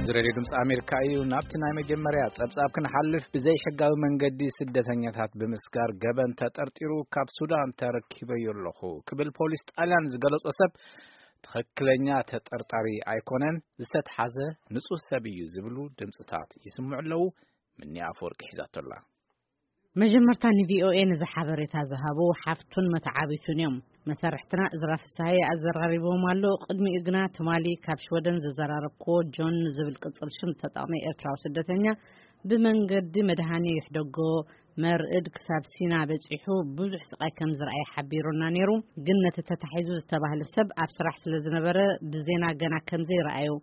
እዚ ሬድዮ ድምፂ ኣሜሪካ እዩ። ናብቲ ናይ መጀመርያ ጸብጻብ ክንሓልፍ፣ ብዘይሕጋዊ መንገዲ ስደተኛታት ብምስጋር ገበን ተጠርጢሩ ካብ ሱዳን ተረኪበዮ ኣለኹ ክብል ፖሊስ ጣልያን ዝገለጾ ሰብ ትኽክለኛ ተጠርጣሪ ኣይኮነን፣ ዝተትሓዘ ንጹህ ሰብ እዩ ዝብሉ ድምፅታት ይስምዑ ኣለዉ። ምኒ ኣፈወርቂ ሒዛቶ ኣላ። መጀመርታ ንቪኦኤ ነዚ ሓበሬታ ዝሃቡ ሓፍቱን መተዓቢቱን እዮም። መሰርሕትና እዝራ ፍስሃየ ኣዘራሪብዎም ኣሎ። ቅድሚኡ ግና ትማሊ ካብ ሽወደን ዘዘራረብክዎ ጆን ዝብል ቅጽል ሽም ዝተጠቕመ ኤርትራዊ ስደተኛ ብመንገዲ መድሃኔ ይሕደጎ መርዕድ ክሳብ ሲና በጺሑ ብዙሕ ስቓይ ከም ዝረኣየ ሓቢሩና ነይሩ። ግን ነቲ ተታሒዙ ዝተባህለ ሰብ ኣብ ስራሕ ስለ ዝነበረ ብዜና ገና ከም ዘይረኣዮ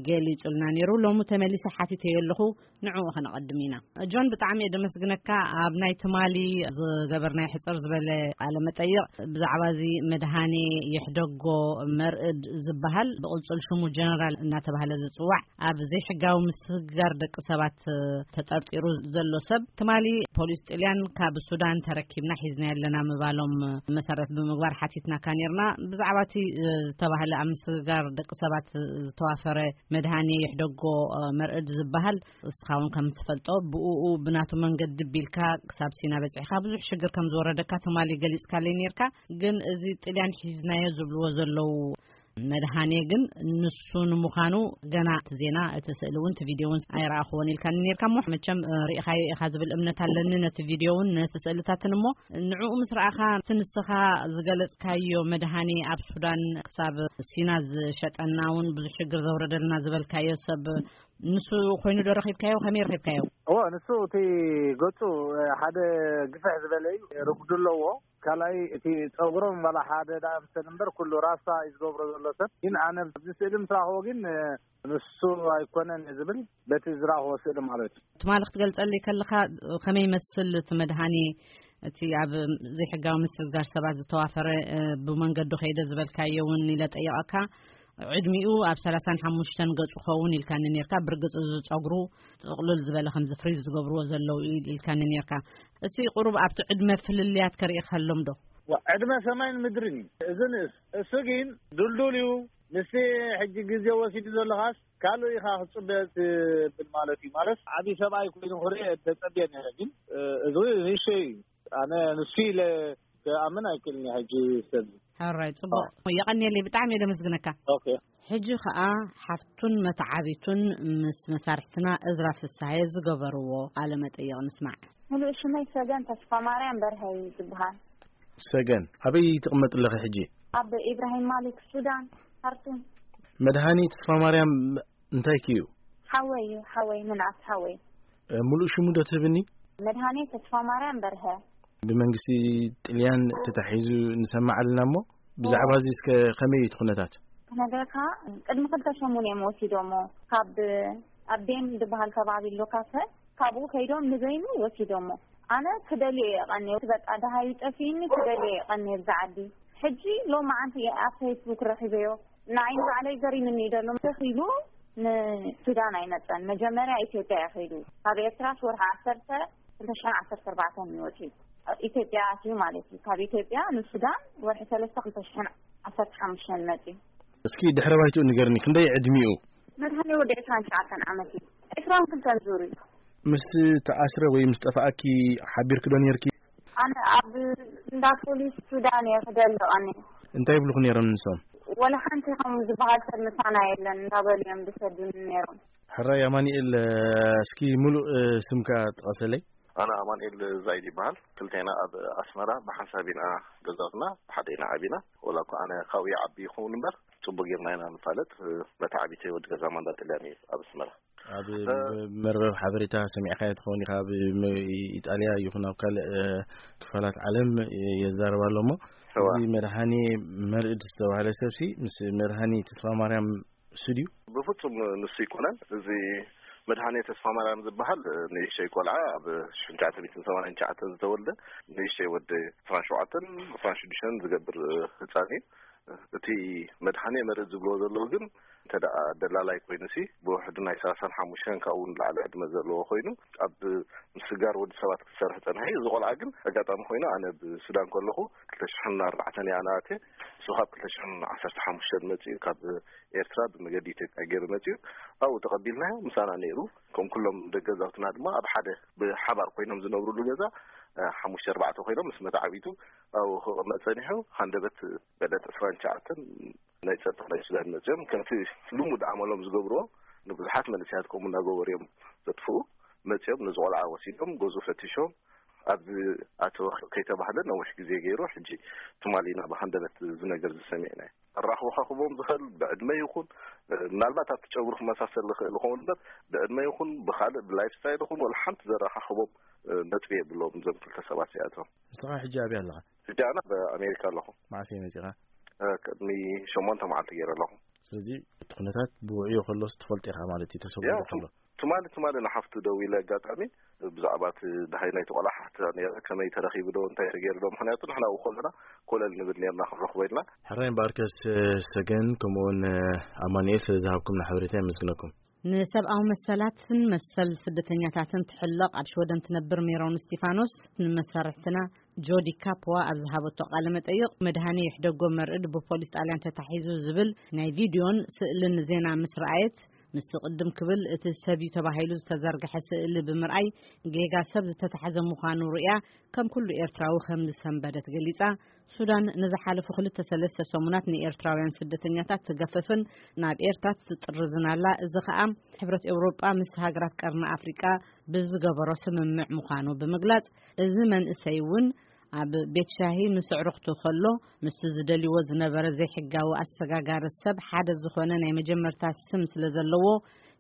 ገሊጹልና ነይሩ። ሎሚ ተመሊሰ ሓቲተዮ ኣለኹ። ንዕኡ ከነቐድም ኢና። ጆን፣ ብጣዕሚ እየ ደመስግነካ። ኣብ ናይ ትማሊ ዝገበርናዮ ሕጽር ዝበለ ቃለ መጠይቕ ብዛዕባ እዚ መድሃኔ የሕደጎ መርዕድ ዝበሃል፣ ብቕጽል ሽሙ ጀነራል እናተባህለ ዝጽዋዕ፣ ኣብ ዘይሕጋዊ ምስግጋር ደቂ ሰባት ተጠርጢሩ ዘሎ ሰብ፣ ትማሊ ፖሊስ ጥልያን ካብ ሱዳን ተረኪብና ሒዝና ኣለና ምባሎም መሰረት ብምግባር ሓቲትናካ ነርና። ብዛዕባ እቲ ዝተባህለ ኣብ ምስግጋር ደቂ ሰባት ዝተዋፈረ መድሃኔ የሕደጎ መርዕድ ዝበሃል፣ እስኻ እውን ከም ትፈልጦ፣ ብእኡ ብናቱ መንገዲ ቢልካ ክሳብ ሲና በጺሕካ ብዙሕ ሽግር ከም ዝወረደካ ትማሊ ገሊጽካለይ ነርካ። ግን እዚ ጥልያን ሒዝናዮ ዝብልዎ ዘለዉ መድሃኔ ግን ንሱ ንምዃኑ ገና እቲ ዜና፣ እቲ ስእሊ እውን እቲ ቪድዮ እውን ኣይረኣኽዎን ኢልካኒ ነርካ። እሞ መቸም እ፣ ርኢኻዮ ኢኻ ዝብል እምነት ኣለኒ፣ ነቲ ቪድዮ እውን ነቲ ስእልታትን። እሞ ንዕኡ ምስ ረኣኻ እቲ ንስኻ ዝገለጽካዮ መድሃኔ ኣብ ሱዳን ክሳብ ሲና ዝሸጠና እውን ብዙሕ ሽግር ዘውረደልና ዝበልካዮ ሰብ ንሱ ኮይኑ ዶ ረኺብካዮ? ከመይ ረኺብካዮ? እዎ፣ ንሱ እቲ ገጹ፣ እ፣ ሓደ ግፍሕ ዝበለ እዩ፣ ርጉዲ ኣለዎ። ካልኣይ እቲ ጸጉሮም ዋላ ሓደ ደኣ ምሰል እምበር ኩሉ ራስታ እዩ ዝገብሮ ዘሎ ሰብ። ግን ኣነ ኣብዚ ስእሊ ምስ ረኣኽዎ ግን፣ እ፣ ንሱ ኣይኮነን እየ ዝብል፣ በቲ ዝረኣኽዎ ስእሊ ማለት እዩ። ትማሊ ክትገልጸለይ ከለኻ ከመይ ይመስል እቲ መድሃኒ፣ እቲ ኣብ ዘይሕጋዊ ምስግጋር ሰባት ዝተዋፈረ፣ እ፣ ብመንገዱ ከይደ ዝበልካዮ እውን ኢለ ጠይቐካ። ዕድሚኡ ኣብ ሰላሳን ሓሙሽተን ገጹ ኸውን ኢልካኒ ነርካ። ብርግጽ እዚ ጸጉሩ ጥቕልል ዝበለ ከምዚ ፍሪዝ ዝገብርዎ ዘለዉ ኢል-፣ ኢልካኒ ነርካ። እስቲ ቁሩብ ኣብቲ ዕድመ ፍልልያት ከርእየኸሎም ዶ? ዋ፣ ዕድመ ሰማይን ምድርን እዩ እዚ ንእስ። እሱ ግን ድልዱል እዩ። ምስቲ ሕጂ ግዜ ወሲዱ ዘለኻስ ካልእ ኢኻ ክትጽበ ትብል ማለት እዩ። ማለት ዓቢ ሰብኣይ ኮይኑ ክርኢ ተጸብየ ነይረ፣ ግን፣ እ፣ እዚ ንእሽተይ እዩ። ኣነ ንሱ ኢለ ክኣምን ኣይክእልን እየ ሕጂ ሰብ። ሕራይ፣ ጽቡቕ። የቐንየለይ፣ ብጣዕሚ እየ ደመስግነካ። ኦኬ። ሕጂ ኸኣ ሓፍቱን መተዓቢቱን ምስ መሳርሕትና እዝራ ፍስሃየ ዝገበርዎ ቃለ መጠይቕ ንስማዕ። ሙሉእ ሽመይ ሰገን ተስፋ ማርያም በርሀ እዩ ዝበሃል። ሰገን፣ ኣበይ ትቕመጥ ኣለኺ ሕጂ? ኣብ ኢብራሂም ማሊክ ሱዳን፣ ካርቱም። መድሃኒ ተስፋ ማርያም እንታይ ክዩ? ሓወይ እዩ፣ ሓወይ፣ ምንኣስ ሓወይ። እ፣ ሙሉእ ሽሙ ዶ ትህብኒ? መድሃኒ ተስፋ ማርያም በርሀ። ብመንግስቲ ጥልያን ተታሒዙ ንሰምዕ ኣለና እሞ፣ ብዛዕባ እዚ እስከ ከመይ እዩ እቲ ኩነታት? ክነግረካ፣ ቅድሚ ክልተ ሰሙን እዮም ወሲዶሞ። ካብ ኣቤን ዝበሃል ከባቢ ኣሎ ካፈ፣ ካብኡ ከይዶም ንበይኑ ወሲዶሞ። ኣነ ክደልዮ እየ ቀንየ፣ በቃ ደሃዩ ጠፊእኒ፣ ክደልዮ እየ ቀንየ ብዛ ዓዲ። ሕጂ ሎማዓንቲ እየ ኣብ ፌስቡክ ረኺበዮ። ንዓይ ንባዕለይ ገሪምኒ እዩ ዘሎ። ተኺሉ ንሱዳን ኣይመጸን። መጀመርያ ኢትዮጵያ እዩ ከይዱ። ካብ ኤርትራስ ወርሒ ዓሰርተ ክልተ ሽሕን ዓሰርተ ኣርባዕተን እዩ ወጺኡ። ኢትዮጵያ ኣትዩ ማለት እዩ። ካብ ኢትዮጵያ ንሱዳን ወርሒ ሰለስተ ክልተ ሽሕን ዓሰርተ ሓሙሽተን መጺኡ። እስኪ ድሕረ ባይትኡ ንገርኒ፣ ክንደይ ዕድሚኡ? መድሃኒ ወዲ ዕስራን ትሽዓተን ዓመት እዩ። ዕስራን ክልተን ዙር እዩ። ምስ ተኣስረ ወይ ምስ ጠፍኣኪ ሓቢርኪ ዶ ነርኪ? ኣነ ኣብ እንዳ ፖሊስ ሱዳን እየ ክደሊ ቀንየ። እንታይ ይብሉኹ ነይሮም ንሶም? ወላ ሓንቲ ከም ዝበሃል ሰብ ምሳና የለን እንዳበሉ እዮም ዝሰዱኒ ነይሮም። ሕራይ ኣማኑኤል፣ እስኪ ሙሉእ ስምካ ጥቐሰለይ። ኣነ ኣማኑኤል ዛይድ ይበሃል። ክልቴና ኣብ ኣስመራ ብሓንሳብ ኢና ገዛትና፣ ብሓደ ኢና ዓቢና። ወላ እኳ ኣነ ካብኡ ይዓቢ ይኸውን እምበር፣ ጽቡቅ ጌርና ኢና ንፋለጥ። መተዓቢተይ ወዲ ገዛ ማንዳ ጥልያን እዩ ኣብ ኣስመራ። ኣብ እ- መርበብ ሓበሬታ ሰሚዕካዮ ትኸውን ኢኻ፣ ኣብ ም-፣ ኢጣልያ ይኹን ኣብ ካልእ፣ እ፣ ክፋላት ዓለም የዛርብ ኣሎ እሞ፣ እዋ። እዚ መድሃኔ መርዕድ ዝተባህለ ሰብሲ ምስ መድሃኔ ተስፋ ማርያም ንሱ ድዩ? ብፍጹም ንሱ ኣይኮነን። እዚ መድሃኔ ተስፋ ማርያም ዝበሃል ንእሽተይ ቆልዓ ኣብ ሽሕን ትሽዓተ ሚእትን ሰማንያን ትሽዓተን ዝተወልደ ንእሽተይ ወዲ ዕስራን ሸውዓተን ዕስራን ሽዱሽተን ዝገብር ህጻን እዩ። እቲ መድሓኒ መርእ ዝብልዎ ዘለዉ ግን እንተ ደኣ ደላላይ ኮይኑ ሲ ብውሕዱ ናይ ሰላሳን ሓሙሽተን ካብኡ ንላዕሊ ዕድመ ዘለዎ ኮይኑ ኣብ ምስጋር ወዲ ሰባት ክሰርሕ ጸንሐ እዩ። እዚ ቆልዓ ግን ኣጋጣሚ ኮይኑ ኣነ ብሱዳን ከለኹ ክልተ ሽሕን ኣርባዕተን እያ ኣነ ኣትየ። እሱ ካብ ክልተ ሽሕን ዓሰርተ ሓሙሽተን መጺኡ ካብ ኤርትራ ብመገዲ ኢትዮጵያ ገይሩ መጺኡ ኣብኡ ተቐቢልናዮ። ምሳና ነይሩ። ከም ኩሎም ደገ ዛውትና ድማ ኣብ ሓደ ብሓባር ኮይኖም ዝነብሩሉ ገዛ ሓሙሽተ ኣርባዕተ ኮይኖም ምስ መተዓቢቱ ኣብኡ ክቕመጥ ጸኒሑ። ሃንደበት በለት ዕስራን ትሽዓተን ናይ ጸጥታ ናይ ሱዳን መጺኦም ከምቲ ልሙድ ኣመሎም ዝገብርዎ ንብዙሓት መንእሰያት ከምኡ እናገበሩ እዮም ዘጥፍኡ። መጺኦም ነዚ ቆልዓ ወሲዶም ገዝኡ ፈቲሾም ኣብዚ ኣተወ ከይተባህለ ነዊሕ ግዜ ገይሩ። ሕጂ ትማሊ ኢና ብሃንደበት እዚ ነገር ዝሰሚዕና። ኣራኽቦ ካኽቦም ዝኽእል ብዕድመ ይኹን ምናልባት ኣብቲ ጨጉሪ ክመሳሰል ዝኽእል ይኸውን እምበር ብዕድመ ይኹን ብኻልእ ብላይፍ ስታይል ይኹን ወላ ሓንቲ ዘራኻኽቦም ነጥቢ የብሎም እዞም ክልተ ሰባት እዚኣቶም። ንስኻ ሕጂ ኣብይ ኣለኻ? ሕጂ ኣነ ኣብ ኣሜሪካ ኣለኹ። መዓስ እየ መጺኻ? ቅድሚ ሸሞንተ መዓልቲ ገይረ ኣለኹ። ስለዚ እቲ ኩነታት ብውዕዮ ከሎስ ትፈልጦ ኢኻ ማለት እዩ፣ ተሰዊሩ ያ፣ ከሎ። ትማሊ ትማሊ ንሓፍቱ ደዊለ ኣጋጣሚ ብዛዕባ እቲ ደሃይ ናይቲ ቆልዓ ሓትታ ነይረ፣ ከመይ ተረኺቡ ዶ እንታይ ተገይሩ ዶ? ምኽንያቱ ንሕና ኣብኡ ከለና ኮለል ንብል ነርና ክንረኽቦ ኢልና። ሕራይ እምበኣርከስ ሰገን ከምኡውን ኣማኑኤል ስለ ዝሃብኩምና ሓበሬታ የመስግነኩም። ንሰብኣዊ መሰላትን መሰል ስደተኛታትን ትሕለቕ ኣብ ሽወደን ትነብር ሜሮን እስቲፋኖስ ንመሰርሕትና ጆዲ ካፕዋ ኣብ ዝሃበቶ ቃለ መጠይቕ መድሃኒ ይሕደጎ መርዕድ ብፖሊስ ጣልያን ተታሒዙ ዝብል ናይ ቪድዮን ስእልን ዜና ምስ ረኣየት ምስቲ ቅድም ክብል እቲ ሰብ እዩ ተባሂሉ ዝተዘርግሐ ስእሊ ብምርኣይ ጌጋ ሰብ ዝተታሕዘ ምዃኑ ርእያ ከም ኩሉ ኤርትራዊ ከም ዝሰንበደት ገሊጻ። ሱዳን ንዝሓለፉ ክልተ ሰለስተ ሰሙናት ንኤርትራውያን ስደተኛታት ትገፍፍን ናብ ኤርትራ ትጥርዝን ኣላ። እዚ ኸኣ ሕብረት ኤውሮጳ ምስ ሃገራት ቀርኒ ኣፍሪቃ ብዝገበሮ ስምምዕ ምዃኑ ብምግላጽ፣ እዚ መንእሰይ እውን ኣብ ቤት ሻሂ ምስ ኣዕሩኽቱ ከሎ ምስቲ ዝደልይዎ ዝነበረ ዘይሕጋዊ ኣሰጋጋሪ ሰብ ሓደ ዝኾነ ናይ መጀመርታ ስም ስለ ዘለዎ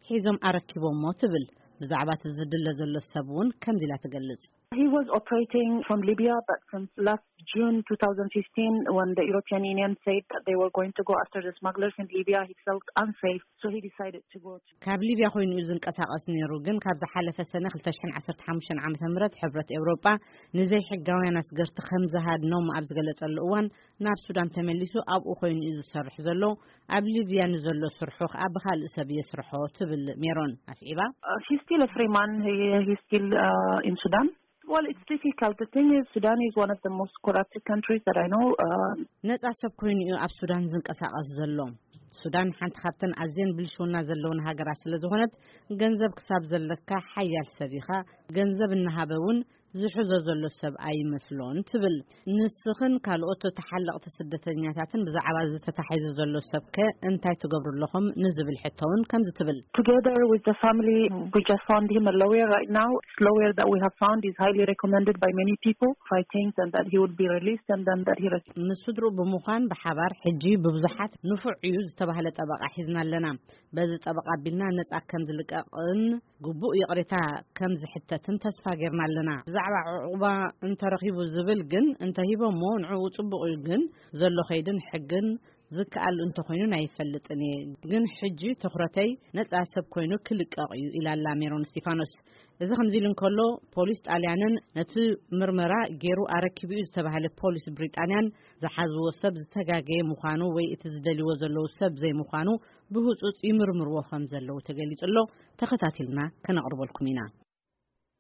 ሒዞም ኣረኪቦሞ ትብል። ብዛዕባ እቲ ዝድለ ዘሎ ሰብ እውን ከምዚ ኢላ ትገልጽ። He was operating from Libya, but from last June two thousand fifteen, when the European Union said that they were going to go after the smugglers in Libya, he felt unsafe, so he decided to go to ካብ ሊብያ ኮይኑ እዩ ዝንቀሳቐስ ነይሩ፣ ግን ካብ ዝሓለፈ ሰነ ክልተ ሽሕን ዓሰርተ ሓሙሽተን ዓመተ ምህረት ሕብረት ኤውሮጳ ንዘይሕጋውያን ኣስገርቲ ከም ዝሃድኖም ኣብ ዝገለጸሉ እዋን ናብ ሱዳን ተመሊሱ ኣብኡ ኮይኑ እዩ ዝሰርሕ ዘሎ። ኣብ ሊብያ ንዘሎ ስርሑ ከኣ ብኻልእ ሰብ የስርሖ ትብል ሜሮን ኣስዒባ። Uh, he's still a free man. He, he's still uh, in Sudan. Well, it's difficult. The thing is, Sudan is one of the most corrupted countries that I know. Uh, ነጻ ሰብ ኮይኑ እዩ ኣብ ሱዳን ዝንቀሳቐስ ዘሎ። ሱዳን ሓንቲ ካብተን ኣዝየን ብልሽውና ዘለውን ሃገራት ስለ ዝኾነት፣ ገንዘብ ክሳብ ዘለካ ሓያል ሰብ ኢኻ። ገንዘብ እናሃበ እውን ዝሕዞ ዘሎ ሰብ ኣይመስሎን ትብል። ንስኽን ካልኦት ተሓለቕቲ ስደተኛታትን ብዛዕባ እዚ ተታሒዙ ዘሎ ሰብከ እንታይ ትገብሩ ኣለኹም ንዝብል ሕቶ እውን ከምዚ ትብል። Together with the family, we just found him a lawyer right now. This lawyer that we have found is highly recommended by many people. I think then that he would be released and then that he res- ምስ ስድርኡ ብምዃን ብሓባር ሕጂ ብብዙሓት ንፉዕ እዩ ዝተባህለ ጠበቓ ሒዝና ኣለና። በዚ ጠበቓ ኣቢልና ነጻ ከም ዝልቀቕን ግቡእ ይቕሬታ ከም ዝሕተትን ተስፋ ጌርና ኣለና። ብዛዕባ ዕቑባ እንተረኺቡ ዝብል ግን እንተሂቦሞ ንዕኡ ጽቡቕ እዩ፣ ግን ዘሎ ከይድን ሕግን ዝከኣል እንተኾይኑ ኣይፈልጥን እየ፣ ግን ሕጂ ትኹረተይ ነጻ ሰብ ኮይኑ ክልቀቕ እዩ ኢላ ኣላ ሜሮን እስቲፋኖስ። እዚ ከምዚ ኢሉ እንከሎ ፖሊስ ጣልያንን ነቲ ምርመራ ገይሩ ኣረኪቡ እዩ ዝተባህለ ፖሊስ ብሪጣንያን ዝሓዝዎ ሰብ ዝተጋገየ ምዃኑ ወይ እቲ ዝደልይዎ ዘለዉ ሰብ ዘይምዃኑ ብህጹጽ ይምርምርዎ ከም ዘለዉ ተገሊጹ ኣሎ። ተኸታቲልና ከነቕርበልኩም ኢና።